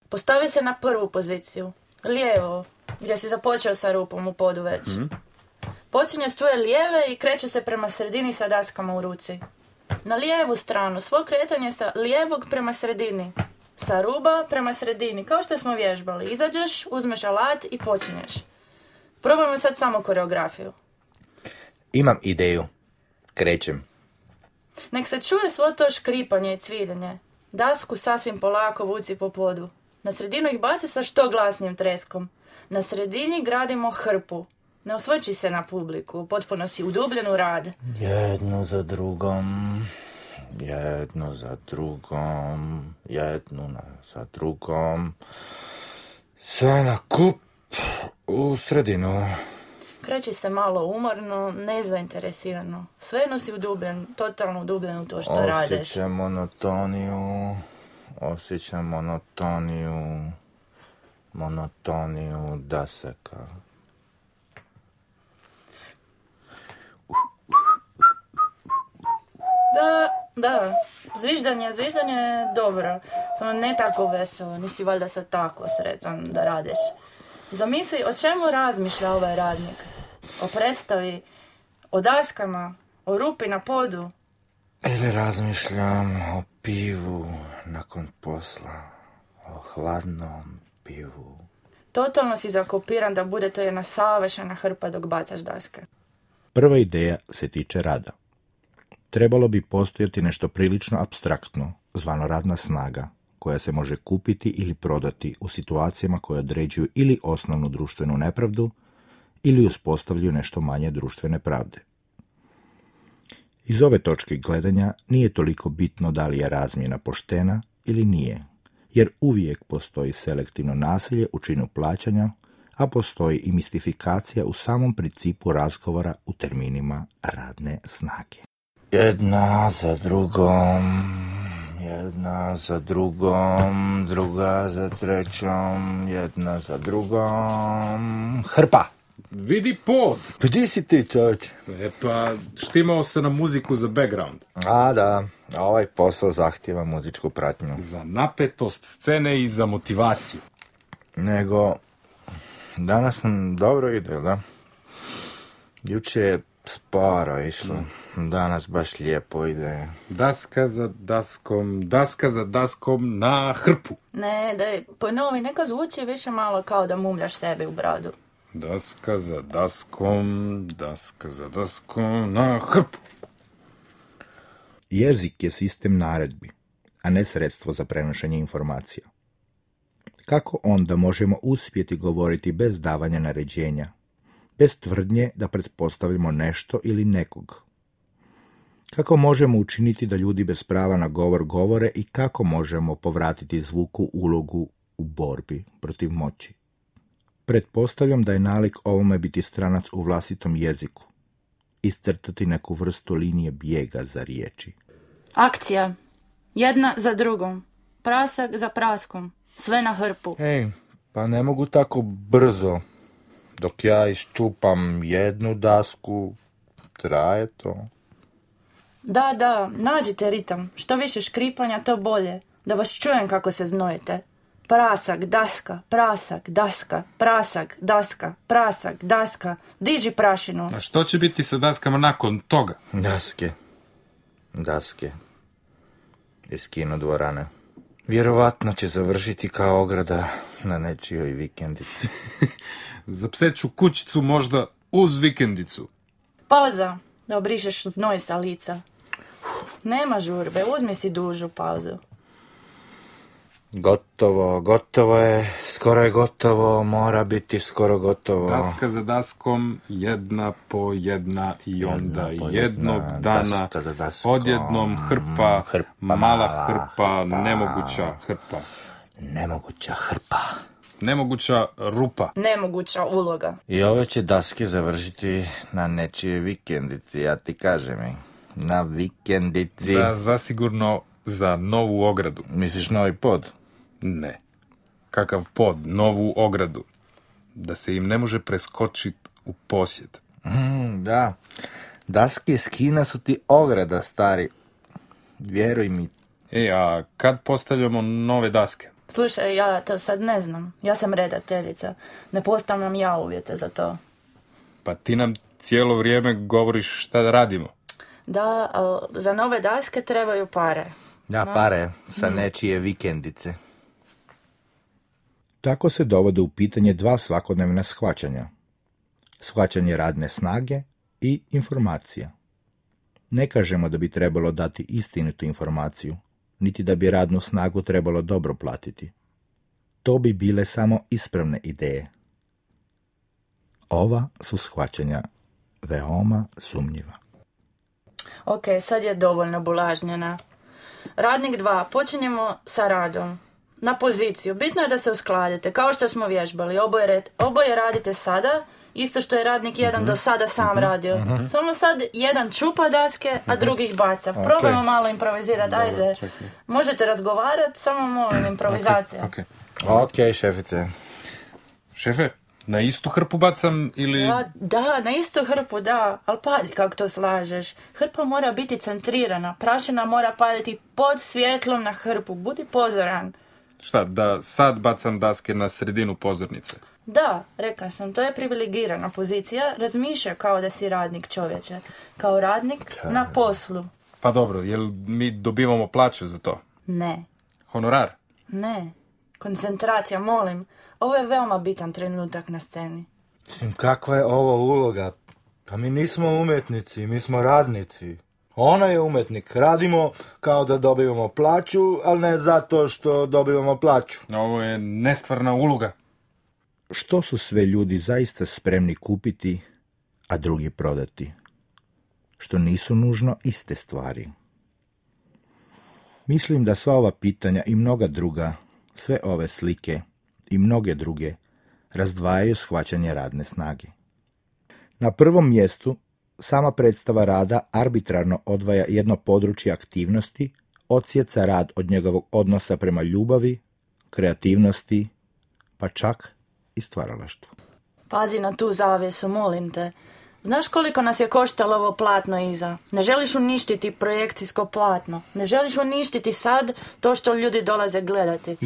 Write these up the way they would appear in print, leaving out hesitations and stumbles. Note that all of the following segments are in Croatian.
Postavi se na prvu poziciju, lijevo, gdje si započeo sa rupom u podu već. Počinje s tvoje lijeve i kreće se prema sredini sa daskama u ruci. Na lijevu stranu, svo kretanje sa lijevog prema sredini. Sa ruba prema sredini, kao što smo vježbali. Izađeš, uzmeš alat i počinješ. Probajmo sad samo koreografiju. Imam ideju. Krećem. Nek se čuje svo to škripanje i cviljenje. Dasku sasvim polako vuci po podu. Na sredinu ih baci sa što glasnijim treskom. Na sredini gradimo hrpu. Ne osvrći se na publiku, potpuno si udubljen u rad. Jedno za drugom, jedno za drugom, jedno za drugom. Sve na kup u sredinu. Kreći se malo umorno, nezainteresirano. Svejedno si udubljen, totalno udubljen u to što radiš. Osjećam monotoniju dasaka. Da, zviždanje je dobro, samo ne tako veselo, nisi valjda sad tako sretan da radiš. Zamisli o čemu razmišlja ovaj radnik. O predstavi, o daskama, o rupi na podu. Ili razmišljam o pivu nakon posla, o hladnom pivu. Totalno si zakopiran da bude to jedna savršena hrpa dok bacaš daske. Prva ideja se tiče rada. Trebalo bi postojati nešto prilično apstraktno, zvano radna snaga, koja se može kupiti ili prodati u situacijama koje određuju ili osnovnu društvenu nepravdu ili uspostavljaju nešto manje društvene pravde. Iz ove točke gledanja nije toliko bitno da li je razmjena poštena ili nije, jer uvijek postoji selektivno nasilje u činu plaćanja, a postoji i mistifikacija u samom principu razgovora u terminima radne snage. Jedna za drugom, druga za trećom, jedna za drugom. Hrpa! Vidi pod! Pa di si ti, čovječ? Pa štimao se na muziku za background. A da, ovaj posao zahtijeva muzičku pratnju. Za napetost scene i za motivaciju. Nego, danas nam dobro ide, da? Juče je sporo išlo, danas baš lijepo ide. Daska za daskom na hrpu. Ne, daj, ponovi, neka zvuči više malo kao da mumljaš sebi u bradu. Daska za daskom na hrpu. Jezik je sistem naredbi, a ne sredstvo za prenošenje informacija. Kako onda možemo uspjeti govoriti bez davanja naređenja, bez tvrdnje da pretpostavljamo nešto ili nekog? Kako možemo učiniti da ljudi bez prava na govor govore i kako možemo povratiti zvuku ulogu u borbi protiv moći? Pretpostavljam da je nalik ovome biti stranac u vlastitom jeziku, iscrtati neku vrstu linije bijega za riječi. Akcija. Jedna za drugom. Prasak za praskom. Sve na hrpu. Ej, pa ne mogu tako brzo. Dok ja iščupam jednu dasku, traje to. Da, nađite ritam. Što više škripanja, to bolje. Da vas čujem kako se znojite. Prasak, daska, prasak, daska, prasak, daska, prasak, daska. Diži prašinu. A što će biti sa daskama nakon toga? Daske. Iz kinodvorane. Vjerovatno će završiti kao ograda na nečijoj vikendici. Za pseću kućicu možda uz vikendicu. Pauza, da obrišeš znoj sa lica. Nema žurbe, uzmi si dužu pauzu. Gotovo je, skoro je gotovo, mora biti skoro gotovo. Daska za daskom, jedna po jedna i onda jednog dana, odjednom hrpa, mala hrpa, nemoguća hrpa. Nemoguća hrpa. Nemoguća rupa. Nemoguća uloga. I ove će daske završiti na nečije vikendici, ja ti kažem mi. Na vikendici. Da, zasigurno za novu ogradu. Misliš novi pod? Ne. Kakav pod, novu ogradu. Da se im ne može preskočiti u posjed. Da. Daske iz Kina su ti ograda, stari. Vjeruj mi. A kad postavljamo nove daske? Slušaj, ja to sad ne znam. Ja sam redateljica. Ne postavljam ja uvjete za to. Pa ti nam cijelo vrijeme govoriš šta da radimo. Da, ali za nove daske trebaju pare. Da, pare sa nečije vikendice. Tako se dovode u pitanje dva svakodnevna shvaćanja. Shvaćanje radne snage i informacija. Ne kažemo da bi trebalo dati istinitu informaciju, niti da bi radnu snagu trebalo dobro platiti. To bi bile samo ispravne ideje. Ova su shvaćanja veoma sumnjiva. Ok, sad je dovoljno bulažnjena. Radnik 2, počinjemo sa radom. Na poziciju. Bitno je da se uskladite, kao što smo vježbali. Oboje radite sada, isto što je radnik 1 do sada sam radio. Samo sad jedan čupa daske, a drugi ih baca. Probajmo malo improvizirati. Ajde, možete razgovarati, samo molim improvizacija. Ok, šefice. Šefe, na istu hrpu bacam ili... Da, na istu hrpu, da. Ali pazi kako to slažeš. Hrpa mora biti centrirana. Prašina mora padati pod svjetlom na hrpu. Budi pozoran. Šta, da sad bacam daske na sredinu pozornice? Da, rekao sam, to je privilegirana pozicija. Razmišlja kao da si radnik, čovječe. Kao radnik na poslu. Pa dobro, jel mi dobivamo plaću za to? Ne. Honorar? Ne. Koncentracija, molim. Ovo je veoma bitan trenutak na sceni. Mislim, kakva je ovo uloga? Pa mi nismo umjetnici, mi smo radnici. Ona je umjetnik. Radimo kao da dobivamo plaću, ali ne zato što dobivamo plaću. Ovo je nestvarna uloga. Što su sve ljudi zaista spremni kupiti, a drugi prodati? Što nisu nužno iste stvari. Mislim da sva ova pitanja i mnoga druga, sve ove slike i mnoge druge, razdvajaju shvaćanje radne snage. Na prvom mjestu sama predstava rada arbitrarno odvaja jedno područje aktivnosti, odsjeca rad od njegovog odnosa prema ljubavi, kreativnosti, pa čak i stvaralaštvu. Pazi na tu zavjesu, molim te. Znaš koliko nas je koštalo ovo platno iza? Ne želiš uništiti projekcijsko platno. Ne želiš uništiti sad to što ljudi dolaze gledati.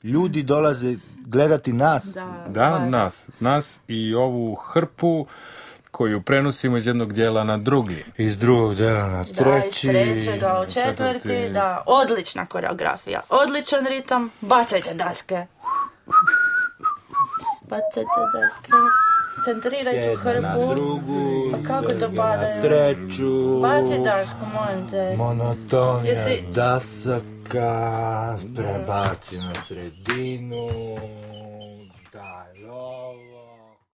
Ljudi dolaze gledati nas. Da, nas i ovu hrpu koju prenosimo iz jednog dijela na drugi. Iz drugog dijela na treći. Da, iz trećega u četvrti. Da, odlična koreografija. Odličan ritam. Bacajte daske. Bacajte daske. Centriraj tu hrpu. Na drugu. Pa kako to padaju? Na treću. Baci dasku, molim te. Monotonija dasaka. Prebaci na sredinu. Daj ovo.